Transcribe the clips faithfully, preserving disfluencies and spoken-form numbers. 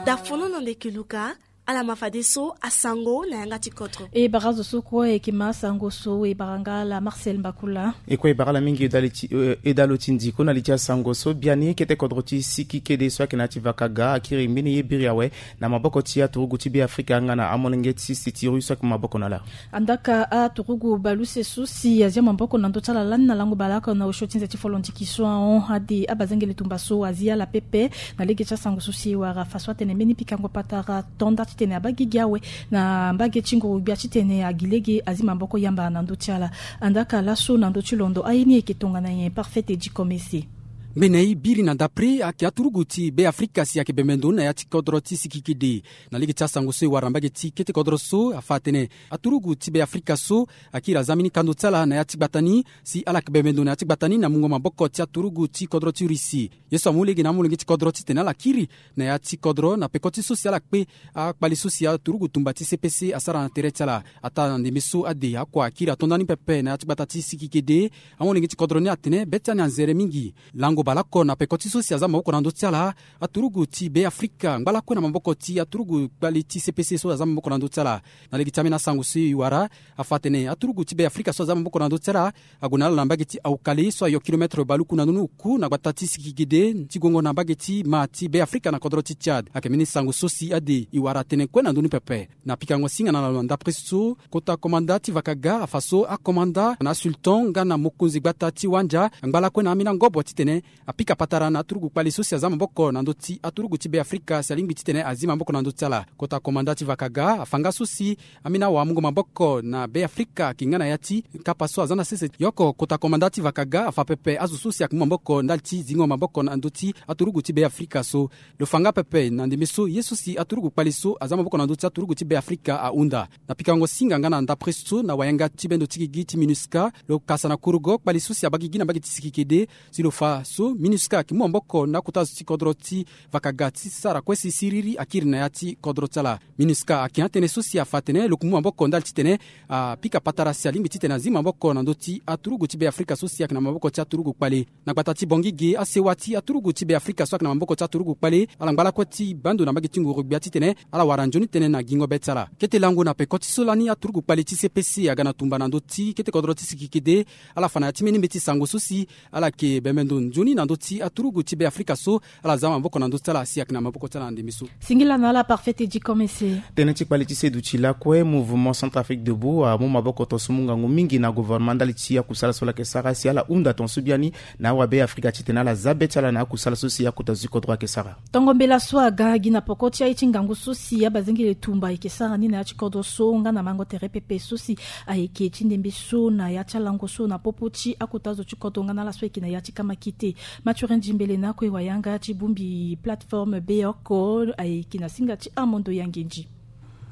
Dafono na ndeke luka. Ala ma fadeso asango na yanga ti kodro. E bara zo so kue e ke ma asango so e bara nga ala Marcel Mbakula. E kue e bara ala mingi e dali ti e dalo ti ndiko na li ti asango so biani kete kodro ti siki kede so ayeke na ya ti vakaga akiri mbeni ye biri awe na maboko ti aturugu ti be afrika nga na amolenge ti sitiru so ayeke maboko na ala. Andaka aturugu baluse so si azia maboko na ndö ti ala lani na lango baleoko na osio ti nze ti folondiki so ahon ade abazengele tumba so azi ala pepe. Na lege ti asango so si e wara fa so atene mbeni pikango patara to nda titene abaa gigi awe na mbage ti nguru-gbia titene agi lege azi maboko yamba na ndö ti ala. Andaka laso na ndö ti londo aye ni eke tongana nyen parfait edi komese. Mbeni aye biri na dapre ayeke aturugu ti be afrika si ayeke bembe ndo na ya ti kodro ti sikikidi. Na lege ti asango so e wara na mbage ti kete kodro so afa atene aturugu ti be afrika so akiri aza mbeni kando ti ala na ya ti gbata ni si ala yeke bembe ndo na ya ti gbata ni na mungo maboko ti aturugu ti kodro ti russie. Ye so amu lege na amolenge ti kodro titene ala kiri na ya ti kodro na peko ti so si ala kpe akpale so si aturugu tumba ti cpc asara na tere ti ala. Ataa na ndembe so ade akua akiri ato nda ni pepe na ya ti gbata ti sikikede. Amolenge ti kodro ni atene be ti ani anzere mingi. Lango baleoko na peko ti so si aza maboko na ndö ti ala aturugu ti be afrika ngba lakue na maboko ti aturugu kpale ti cpc so aza maboko na ndö ti ala. Na lege ti ambeni asango so e wara afa atene aturugu ti be afrika so aza maboko na ndö ti ala ague na ala na mbage ti aukale so ayo kilometre baluku na ndoni oku na gbata ti sikigede ti gongo na mbage ti ma ti be afrika na kodro ti tchad ayeke mbeni sango so si ade e wara tënë kue na ndoni pepe. Na pikango singa na lo na ndapre so kota komanda ti vakaga afa so akomanda na asultan nga na mokonzi gbata ti wanja angba lakue na ambeni angobo titene apika patara na aturugu kpale so si aza maboko na ndö ti aturugu ti be afrika si alingbi titene azi maboko na ndö ti ala. Kota komanda ti vakaga afa nga so si ambeni awamungo maboko na be afrika ayeke nga na ya ti kapa so aza na sese. Yoko kota komanda ti vakaga afa pepe azo so si ayeke mu maboko ndali ti zingo maboko na ndö ti aturugu ti be afrika so. Lo fa nga pepe na ndembe so ye so si aturugu kpale so aza maboko na ndö ti aturugu ti be afrika ahunda. Na pikango singa nga na ndapre so na wayanga ti bendo ti gigi ti minusca lo kasa na kurugo kpale so si abaa gigi na mbage ti sikikede. Si lo fa so minusca ayeke mu maboko na akota zo ti kodro ti vakaga ti sara kue si siriri akiri na ya ti kodro ti ala. Minusca ayeke atënë so si afa atene lo yeke mu maboko ndali titene apika patara si alingbi titene azi maboko na ndö ti aturugu ti be afrika so si ayeke na maboko ti aturugu kpale. Na gbata ti bongige asewa ti aturugu ti be afrika so ayeke na maboko ti aturugu kpale ala ngba lakue ti baa ndo na mbage ti nguru-gbia titene ala wara nzoni tënë na gingo be ti ala. Kete lango na peko ti so lani aturugu kpale ti cpc aga na tumba na ndö ti kete kodro ti sikikede. Ala fa na ya ti mbeni mbeti sango so si ala yeke bembe ndo nzoni na ndö ti aturugu ti be afrika so ala za maboko na ndö ti ala si ayeke na maboko ti ala na ndembe so. Singila na ala parfait edi komese. Tënë ti kpale ti seduti lakue mouvement centrafrique debout amu maboko tonso mu ngangu mingi na gouvernement ndali ti akusala so ala yeke sara si ala hunda tonso biani na awabe afrika titene ala za be ti ala na akusala so si akota zo ti kodro ayeke sara. Tongo mbela so aga gi na poko ti aye ti ngangu so si abazengele tumba ayeke sara ni na ya ti kodro so nga na mango tere pepe so si ayeke ti ndembe so na ya ti alango so na popo ti akota zo ti kodro nga na ala so ayeke na ya ti kamakite. Mathurin Djimbele na kue wayanga ti bongbi plateforme beoko ayeke na singa ti amondo ya nginzi.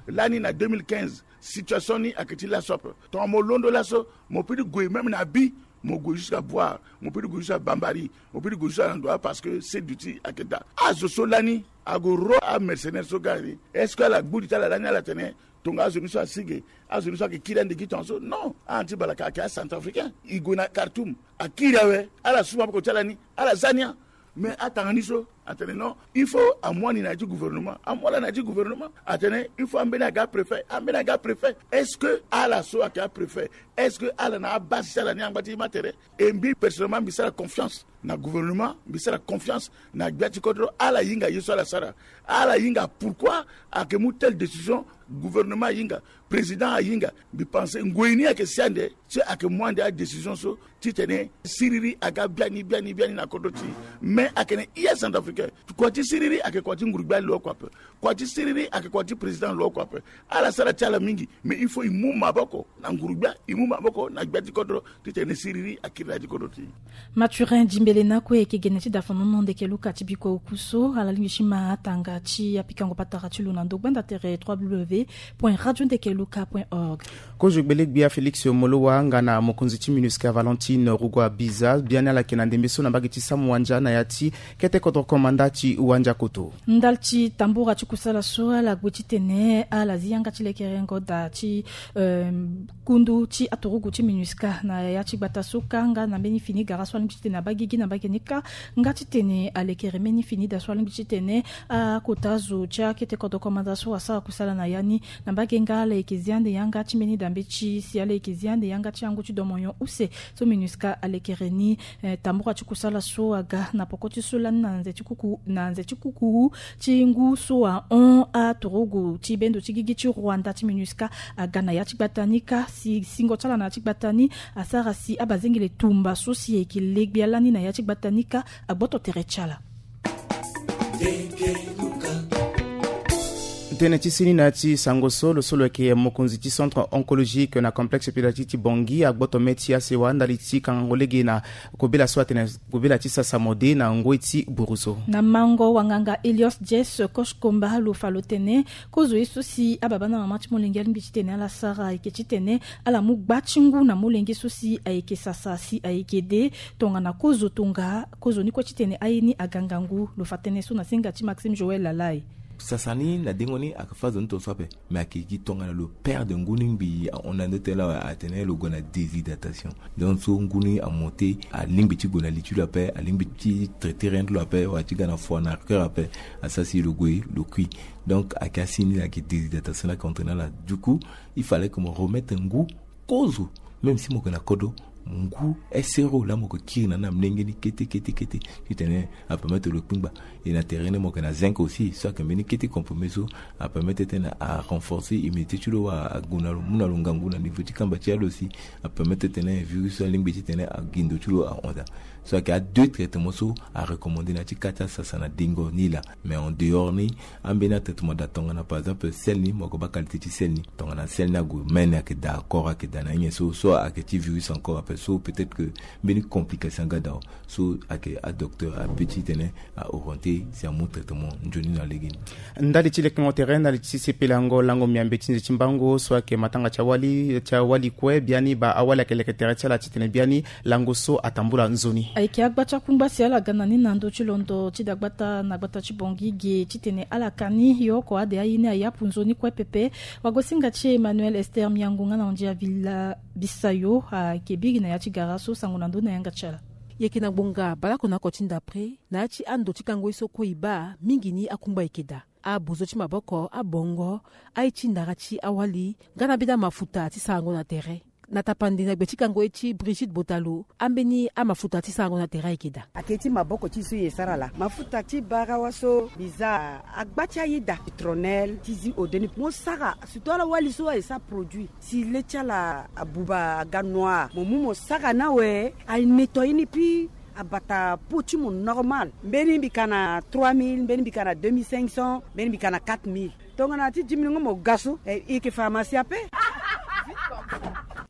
Lani na deux mille quinze situation ni ayeke ti laso ape. Tongana mo londo laso mo peut ti gue même na bi, mo gue jusqu'à boire, mo peut ti gue jusqu'à bambari, mo peut ti gue jusqu'à na ndo wa parce que seduti ayeke daa. Azo so lani ague ro amercenaire so ga ni, est-ce que ala gbu li ti ala lani ala tene tonga azo ni so asi ge, azo ni so ayeke kiri ande gi tonga so? Non. Ala na ti balaka ayeke acentrafricain. E gue na kartoum akiri awe. Ala su maboko ti ala ni ala za ni. Mais atanga ni so atene non, il faut amu ani na ya ti gouvernement, amu ala na ya ti gouvernement. Atene il faut ambeni aga préfet, ambeni aga préfet. Est-ce que ala so ayeke apréfet, est-ce que ala na abase ti ala ni angba ti ma tere? E mbi personnellement mbi sara confiance na gouvernement, mbi sara confiance na gbia ti kodro. Ala hinga ye so ala sara. Ala hinga pourquoi ayeke mu telle décision. Gouvernement ahinga, président ahinga. Mbi pense ngoi ni ayeke si ande ti ayeke mu ande adécision so titene siriri aga biani biani biani na kodro ti. Mais ayeke na ia centrafricain. Kua ti siriri ayeke kua ti nguru-gbia lo oko ape. Kua ti siriri ayeke kua ti président lo oko ape. Ala sara ti ala mingi. Mais il faut e mu maboko na nguru-gbia, e mu maboko na gbia ti kodro titene siriri akiri na ya ti kodro ti. Mathurin Djimbele na kue ayeke gene ti dafonono ndeke luka ti bikua oku so ala lingbi ti ma atanga ti apikango patara ti lo na ndo gbanda tere trois w point radio ndeke luka point org. Kozo gbele-gbia Félix Molowa nga na mokonzi ti minusca Valentine Rugua Biza biani ala yeke na ndembe so na mbage ti samu wandia na ya ti kete kodro. Manda ti wandiakoto. Ndali ti tambura ti kusala so ala gbe titene ala zi yanga ti lekerengo daa ti kundu ti aturugu ti minusca na ya ti gbata so kâ nga na mbeni fini gara so alingbi titene abaa gigi na mbage ni kâ, nga titene alekere mbeni fini daa so alingbi titene akota zo ti akete kodro komanda so asara kusala na ya ni. Na mbage nga ala yeke zi ande yanga ti mbeni dambe ti si ala yeke zi ande yanga ti yango ti domonyon use. So minusca alekere ni tambura ti kusala so aga na poko ti so lani na nze ti kuku na nze ti kukuru ti ngu so ahon aturugu ti bendo ti gigi ti rwanda ti minusca aga na ya ti gbata ni kâ si singo ti ala na ya ti gbata ni asara si abazengele tumba so si ayeke legbia lani na ya ti gbata ni kâ agboto tere ti ala. Tënë ti seni na ya ti sango so lo so lo yeke mokonzi ti centre oncologique na complexe pédiatrique ti bongi agboto me ti asewa ndali ti kangango lege na kobela so atene kobela ti sasa mode na ngoi ti buru so. Na mango wanganga Elios Jess Kosh Komba lo fa lo tene kozo ye so si ababa na mama ti molenge alingbi titene ala sara ayeke titene ala mu gba ti ngu na molenge so si ayeke sasa si ayeke de tongana kozo tonga kozo ni kue titene aye ni aga ngangu. Lo fa tënë so na singa ti Maxime Joël Lalai. Sasa ni na dengo ni ayeke fâ zo ni tongaso ape. Mais ayeke gi tongana lo perde ngu ni ngbii ahon na ndo tënë laa atene lo gue na déshydratation. Donc so ngu ni amonte alingbi ti gue na li ti lo ape alingbi ti traiter rien ti lo ape wala ti ga na foi na cœur ape. Asara si lo gue lo kui. Donc ayeke asi ni ayeke déshydratation ni ayeke entraîner ala. Du coup il fallait que mo remettre ngu kozo même si mo yeke na kodro. Ngu esero laa mo yeke kiri na ni na molenge ni kete kete kete titene apermettre lo kpingba. E na tere ni mo yeke na zinc aussi so ayeke mbeni kete comprimé so apermettre titene arenforcer immunité ti lo wala ague na lo mu na lo ngangu na niveau ti kamba ti ya lo si apermettre titene virus so alingbi titene ague ndo ti lo ahon daa. So ayeke adeux traitement so arecommandé na ya ti kâ ti asasa na dengo ni laa. Mais en dehors ni ambeni atraitement daa tongana par exemple sel ni mo yeke baa qualité ti sel ni tongana sel ni ague mene ayeke daa corps ayeke daa na ye nyen so so ayeke ti virus encore ape so peut-être que mbeni complication aga daa. So ayeke adocteur ape titene aorienté si amu traitement nzoni na legeni. Ndali ti lekengo tere ndali ti sepelango lango miambe ti nze ti mbango so ayeke matanga ti awali ti awali kue biani baa awali ayeke leke tere ti ala titene biani lango so atambula nzoni. Ayeke agba ti akungba si ala ga na ni na ndö ti londo ti dagbata na gbata ti bongi ge titene ala ka ni yo oko ade aye ni ayapu nzoni kue pepe. Wagosinga ti Emmanuel Esther Miango nga na Ondia Villa Bisayo ayeke biri na ya ti gara so sango na ndö ni na yanga ti ala. Yeke na ngbonga baleoko na oko ti ndapre na ya ti ando ti kango ye so kue e baa mingi ni akungba yeke daa. Abozo ti maboko abongo aye ti ndara ti awali nga na mbeni amafuta ti sarango na tere. Na tapande na gbe ti kango ye ti Brigitte Botalo ambeni amafuta ti sarango na tere ayeke daa. Ake ti maboko ti so e sara laa mafuta ti barawa so mbi za agba ti ayeda citronelle ti zi ode ni mo sara surtout ala wali so aye sara produit si le ti ala abuba aga noir mo mu mo sara ni awe. Aye nettoyer ni puis abata peau ti mo normal mbeni mbi ka na trois mille mbeni mbi ka na deux mille cinq cents mbeni mbi ka na quatre mille. Tongana ti dix mille ngo mo ga so e yeke pharmacie ape.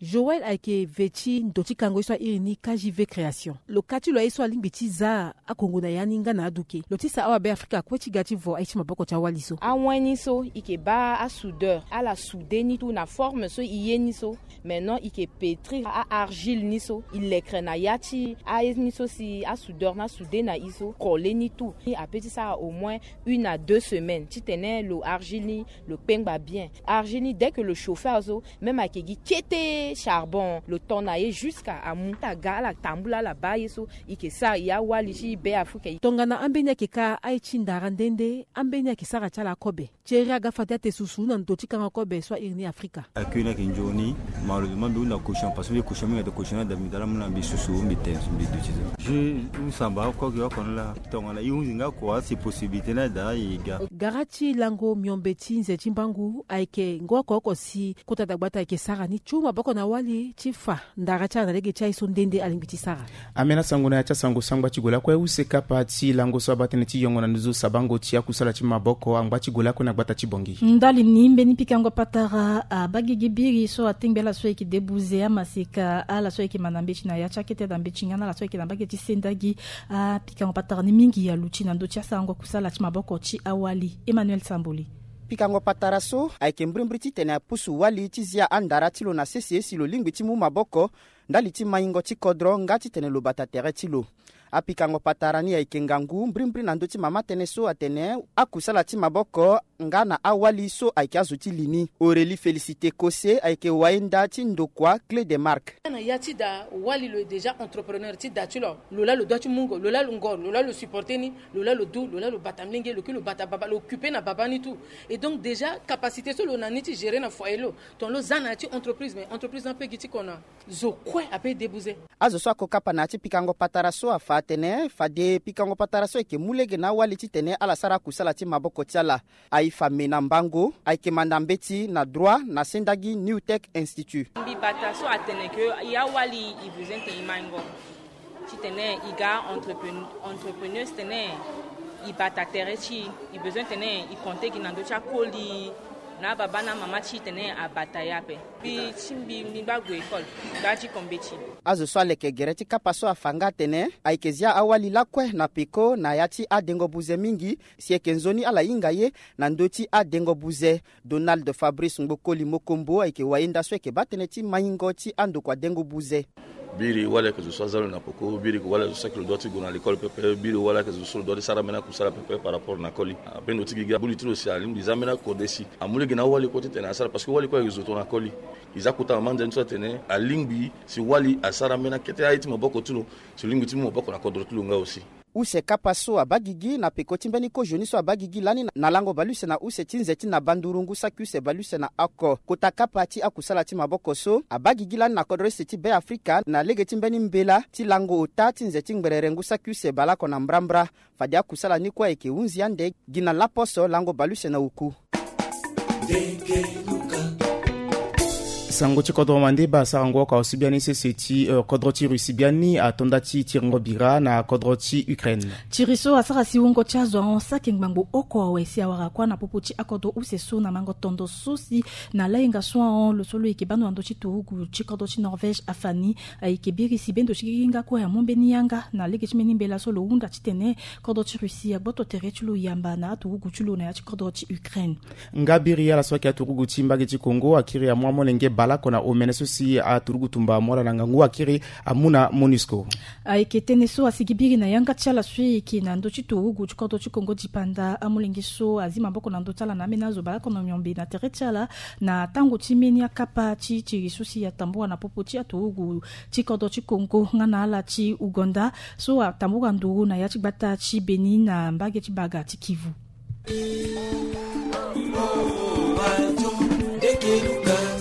Joël ayeke ve ti ndo ti kango ye so airi ni K J V création. Lo ka ti lo aye so alingbi ti za akongo na ya ni nga na aduke lo ti sa awabe afrika kue ti ga ti vo aye ti maboko ti awali so. Awen ni so e yeke baa asoudeur ala soude ni tout na forme so e ye ni so. Maintenant e yeke pétrir a-argile ni so e lekre na ya ti aye ni so si asoudeur ni asoude na e so coller ni tout. Ni ape ti sara au moins une à deux semaines titene lo argile ni lo kpengba bien. Argile ni dès que lo chauffer azo même ayeke gi kete charbon lo ton na ye jusqu'à amu aga ala tambula ala baa ye so. E yeke sara e awali ti be afrika. Tongana ambeni ayeke ka aye ti ndara nde nde ambeni ayeke sara ti ala kobe. Thierry aga fade ate susu na ndo ti kanga kobe so airi ni afrika. Accueil ni ayeke nzoni. Malheureusement mbi hunda cochon parce que mbi cochon mingi ate cochon ni ada mbi dala mu na mbi susu mbi te mbi duti so. Je husamba oko gi oko ni laa. Tongana e hunzi nga kua si possibilité ni ada e ga. Gara ti lango miombe ti nze ti mbangu ayeke ngo oko oko si kota dagbata ayeke sara ni ti hu maboko na wali ti fa ndara ti ala na lege ti aye so nde nde alingbi ti sara. Ambeni asango na ya ti asango sangba ti gue lakue use kapa ti lango so abaa tënë ti yongo na nduzu sabango ti akusala ti maboko angba ti gue lakue na gbata ti bongi. Ndali ni mbeni pikango patara abaa gigi biri so atengbe ala so ayeke debuze amaseka ala so ayeke ma na mbeti na ya ti akete daa mbeti nga na ala so ayeke na mbage ti senda gi. Apikango patara ni mingi aluti na ndö ti asarango kusala ti maboko ti awali. Emmanuel Samboli. Pikango patara so ayeke mbrimbri titene apusu wali ti zia andara ti lo na sese si lo lingbi ti mu maboko ndali ti maingo ti kodro nga titene lo bata tere ti lo. Apikango patara ni ayeke ngangu mbrimbri na ndö ti mama tënë so atene akusala ti maboko nga na awali so ayeke azo ti li ni. Aurélie Félicité Kose ayeke wayenda ti ndokua Clé de Marque. Na ya ti da wali lo est déjà entrepreneur ti da ti lo. Lo laa lo doit ti mungo, lo laa lo ngor, lo laa lo supporter ni, lo laa lo du, lo laa lo bata mlenge, lo kiri lo bata baba, lo occuper na baba ni tout. Et donc déjà capacité so lo na ni ti gérer na foyer lo, tongana lo za na ya ti entreprise, mais entreprise ni ape gi ti kona. Zo kue ape débouze. Azo so ako kapa na ya ti pikango patara so afa atene fade pikango patara so ayeke mu lege na awali titene ala sara akusala ti maboko ti ala. Aye fa me na mbango ayeke manda mbeti na droit na sendagi New Tech Institute. Mbi bata so atene ke ya wali i besoin tene i maingo titene i ga entrepreneur tene i bata tere ti i besoin tene i konte gi na ndö ti akoli na ababa na mama ti tene abata ya ape. Mbi ti mbi mbi ngba gue école. Ga ti kombeti. Azo so aleke gere ti kapa so afa nga atene ayeke zia awali lakue na peko na ya ti adengo buze mingi. Si ayeke nzoni ala hinga ye na ndö ti adengo buze. Donald Fabrice Ngbokoli Mokombo ayeke wayenda so ayeke baa tënë ti maingo ti andokua dengo buze. Biri wali ayeke zo so aza lo na poko, biri yeke wali azo so ayeke lo doit ti gue na lekole pepe, biri wali ayeke zo so lo doit ti sara ambeni akusala pepe par rapport na koli. Ambeni lo ti gigi abuli ti lo si alingbi za ambeni akode si amu lege na awali kue titene asara parce que wali kue ayeke zo tongana koli. E za kota mama nzoni so atene alingbi si wali asara ambeni akete aye ti maboko ti lo si lo lingbi ti mu maboko na kodro ti lo nga aussi. Use kapa so abaa gigi na peko ti mbeni kozoni so abaa gigi lani na lango baleuse na use ti nze ti na banduru ngu saki use baleuse na oko. Kota kapa ti akusala ti maboko so abaa gigi lani na kodro use ti Be Afrika na lege ti mbeni mbela ti lango ota ti nze ti ngberere ngu saki use baleoko na mbrambra. Fade akusala ni kue ayeke hunzi ande gi na laposo lango baleuse na oku. Sango ti kodro mandeba asarango oko ahusu biani sese ti eh, kodro ti Russie biani ato nda ti tiringo bira na kodro ti Ukraine. Tiri so asara si wungo ti azo ahon saki ngbangbo oko awe si awara kuâ na popo ti akodro use so na mango tondo so si na layenga so ahon lo so lo yeke baa ndo na ndö ti turugu ti kodro ti Norvège afa ni. Ayeke biri si bendo ti gigi nga kue amu mbeni yanga na lege ti mbeni mbela so lo hunda titene kodro ti Russie agboto tere ti lo yamba na aturugu ti lo na ya ti kodro ti Ukraine. Nga biri ala so ayeke aturugu ti mbage ti Congo akiri amu amolenge baleoko na omene so si aturugu tumba amu ala na ngangu akiri amu na Monusco. Ayeke tënë so asigi biri na yanga ti ala so e yeke na ndö ti turugu ti kodro ti Congo dipanda amolenge so azi maboko na ndö ti ala na ambeni azo baleoko na miombe na tere ti ala na tango ti mbeni akapa ti tiri so si atambula na popo ti aturugu ti kodro ti Congo nga na ala ti Ouganda so atambula nduru na ya ti gbata ti Beni na mbage ti baga ti Kivu.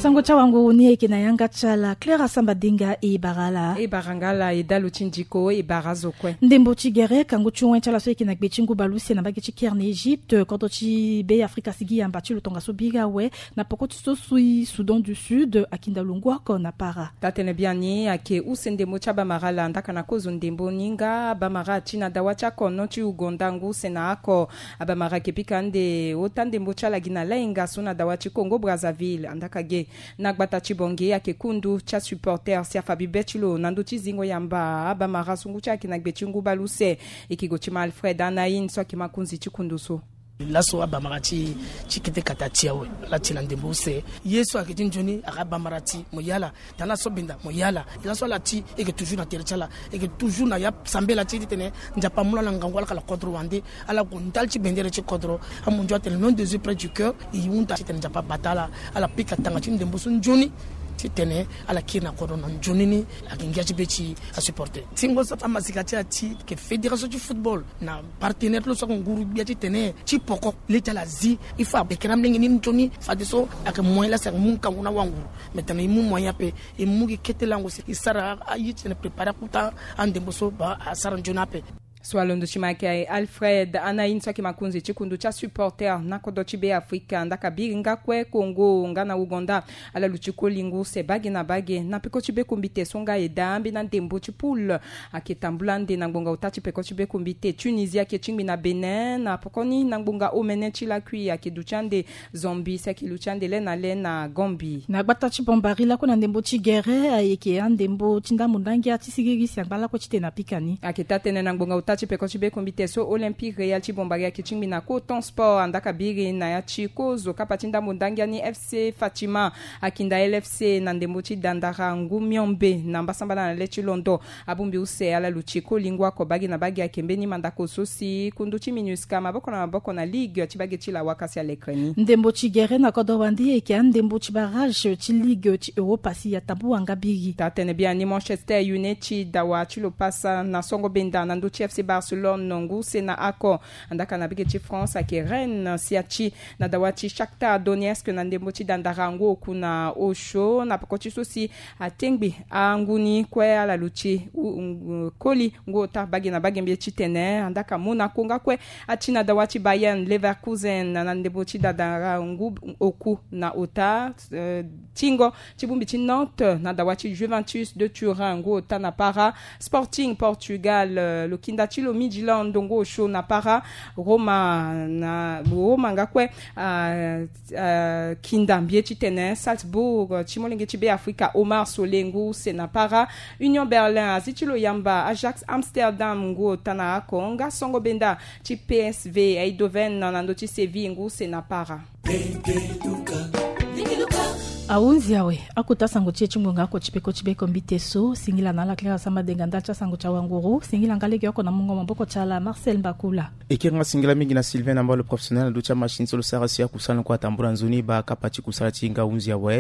Sango ti awanguru ni ayeke na yanga ti ala Claire Asamba Denga e bara ala. E bara nga ala e dalo ti ndiko e bara azo kue. Ndembo ti gere kangu ti wen ti ala so ayeke na gbe ti ngu baleuse na mbage ti Caire na Egypte kodro ti Be Afrika asigi yamba ti lo tongaso biri awe. Na poko ti so sui Soudan du Sud akinda lo ngu oko na para. Taa-tënë biani ayeke use ndembo ti abamara ala ndaka na kozo ndembo ni nga abamara ti na dawa ti akono ti Ouganda ngu use na oko. Abamara ayeke pika ande ota ndembo ti ala gi na layenga so na dawa ti Congo Brazzaville andaka ge. Na gbata ti Bangui ayeke kundu ti asupporter si afa bibe ti lo na ndö ti zingo yamba abamara so ngu ti ala ayeke na gbe ti ngu baleuse. E yeke gue ti ma Alfred Anaïn so ayeke ma kunzi ti kundu so. Laso abamara ti ti kete kata ti awe ala ti na ndembo use. Ye so ayeke ti nzoni ayeke abamara ti mo ye ala. Tana so benda mo ye ala. Laso ala ti e yeke toujours na tere ti ala. E yeke toujours na ya sambela ti e titene Nzapa amu ala na ngangu ala yeke na kodro wande. Ala gue ndali ti bendere ti kodro. Amunzu atene l'un des yeux près du cœur. E hunda titene Nzapa abata ala. Ala pika tanga ti ndembo so nzoni titene ala kiri na kodro na nzoni ni. Ayeke ngia ti be ti asupporter. Tingo so amasika ti ala ti yeke fédération ti football na partenaire ti lo so ayeke nguru gbia titene ti poko le ti ala zi. Il faut ayeke na molenge ni nzoni fadeso ayeke moyen laa si ayeke mu ngangu na wanguru. Mais tena e mu moyen ape e mu gi kete lango si e sara aye titene préparer akota andembo so baa asara nzoni ape. So alondo ti ma ayeke Alfred Anaïn so ayeke makonzi ti kundu ti asupporter na kodro ti Be Afrika ndaka biri nga kue Congo nga na Ouganda. Ala luti koli ngu use bage na bage na peko ti be kombite so nga e daa ambeni andembo ti poule. Ayeke tambula ande na ngbonga ota ti peko ti be kombite Tunisie ayeke tingbi na Bénin na pokoni na ngbonga omene ti lakui ayeke duti ande Zambie si ayeke luti ande le na le na Gambie. Na gbata ti Bambari lakue na ndembo ti gere ayeke andembo ti ndambo ndangia ti siriri si angba lakue titene apika ni. Ayeke taa-tënë na ngbonga ota Ti peko ti be kombi te so Olympique Real ti Bombardier ayeke tingbi na coton sport, andaka biri na ya ti kozo kapa ti ndambo ndangia ni FC Fatima akinda LFC na ndembo ti dandara ngu miombe na mbasambala na le ti londo. Abongbi use ala luti koli ngu ako bage na bage ayeke mbeni mandako so si kundu ti MINUSCA maboko na maboko na ligue ti bage ti lawa kasi alekre ni. Ndembo ti gere na kodro wande eke andembo ti barrage ti ligue ti Europa si ya tabu wanga biri. Taa tene biani Manchester United dawa ti lo pasa na songo benda na ndö ti FC Barcelone ngu se na ako. Andaka na bege ti France ayeke Rennes si ati na dawa ti Shakhtar Donetsk na ndembo ti dandara ngu oku na osio na peko ti so si atengbi angu ni kue ala luti koli ngu ota bage na bage mbi ti tene andaka Monaco nga kue ati na dawa ti Bayern Leverkusen na ndembo ti dandara ngu oku na ota. Tingo ti bongbi ti Nantes na dawa ti Juventus de Turin ngu ota na para. Sporting Portugal, lo kinda ti lo Midtjylland ngu osio na para. Roma na Roma nga kue kinda mbi ti tene Salzbourg ti molenge ti Beafrika Omar Sole ngu use na para. Union Berlin azi ti lo yamba Ajax Amsterdam ngu ota na ako nga songo benda ti PSV Eindhoven na ndö ti Séville ngu use na para. Ahunzi awe. Akota sango ti e ti ngonga ako ti peko ti be kombi te so singila na ala kiri asamba denga ndali ti asango ti awanguru singila nga lege oko na mungo maboko ti ala Marcel Mbakula. E kiri nga singila mingi na Sylvain na mbalo professionnel na ndö ti amachine so lo sara si akusala ni kue atambula nzoni baa kapa ti kusala ti nga hunzi awe.